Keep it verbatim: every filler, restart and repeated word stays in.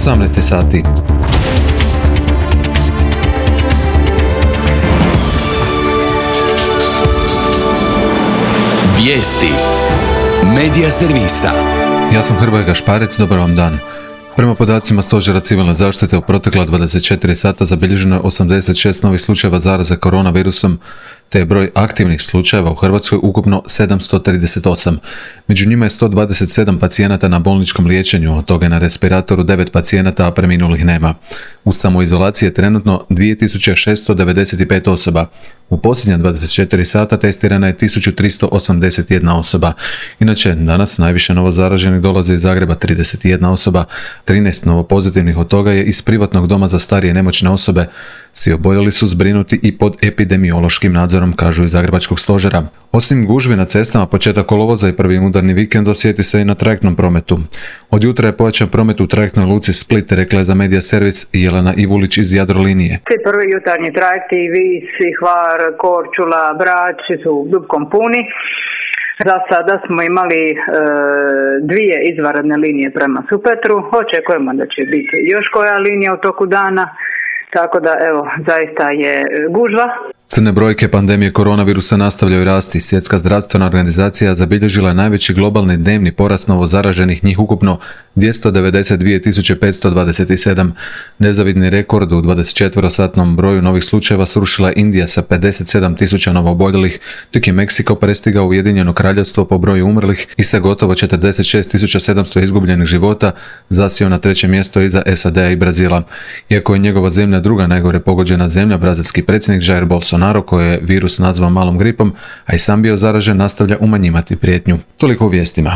osamnaest sati. Vijesti Medija servisa. Ja sam Hrvoje Gašparec, dobar vam dan. Prema podacima Stožera civilne zaštite u protekla dvadeset četiri sata zabilježeno je osamdeset šest novih slučajeva zaraze koronavirusom, te je broj aktivnih slučajeva u Hrvatskoj ukupno sedamsto trideset osam. Među njima je sto dvadeset sedam pacijenata na bolničkom liječenju, od toga je na respiratoru devet pacijenata, a preminulih nema. U samoizolaciji je trenutno dvije tisuće šesto devedeset pet osoba. U posljednja dvadeset četiri sata testirana je tisuću tristo osamdeset jedna osoba. Inače, danas najviše novo zaraženih dolaze iz Zagreba trideset jedna osoba, trinaest novo pozitivnih od toga je iz privatnog doma za starije i nemoćne osobe. Svi oboljeli su zbrinuti i pod epidemiološkim nadzorom, kažu iz Zagrebačkog stožera. Osim gužvi na cestama, početak kolovoza i prvi udarni vikend osjeti se i na trajektnom prometu. Od jutra je pojačan promet u trajektnoj luci Split, rekla je za Medija servis Jelena Ivulić iz Jadrolinije. Svi prvi jutarnji trajekti, Vis, Hvar, Korčula, Brač su dubkom puni. Za sada smo imali e, dvije izvanredne linije prema Supetru. Očekujemo da će biti još koja linija u toku dana. Tako da, evo, zaista je gužva. Crne brojke pandemije koronavirusa nastavljaju rasti. Svjetska zdravstvena organizacija zabilježila je najveći globalni dnevni porast novo zaraženih, njih ukupno dvjesto devedeset dvije tisuće petsto dvadeset sedam. Nezavidni rekord u dvadesetčetverosatnom broju novih slučajeva srušila je Indija sa pedeset sedam tisuća novooboljelih, dok je Meksiko prestigao Ujedinjeno Kraljevstvo po broju umrlih i sa gotovo četrdeset šest tisuća sedamsto izgubljenih života zasjeo na treće mjesto iza S A D-a i Brazila. Iako je njegova zemlja druga najgore pogođena zemlja, brazilski predsjednik Jair Bolsonaro, koji je virus nazvao malom gripom, a i sam bio zaražen, nastavlja umanjivati prijetnju. Toliko u vijestima.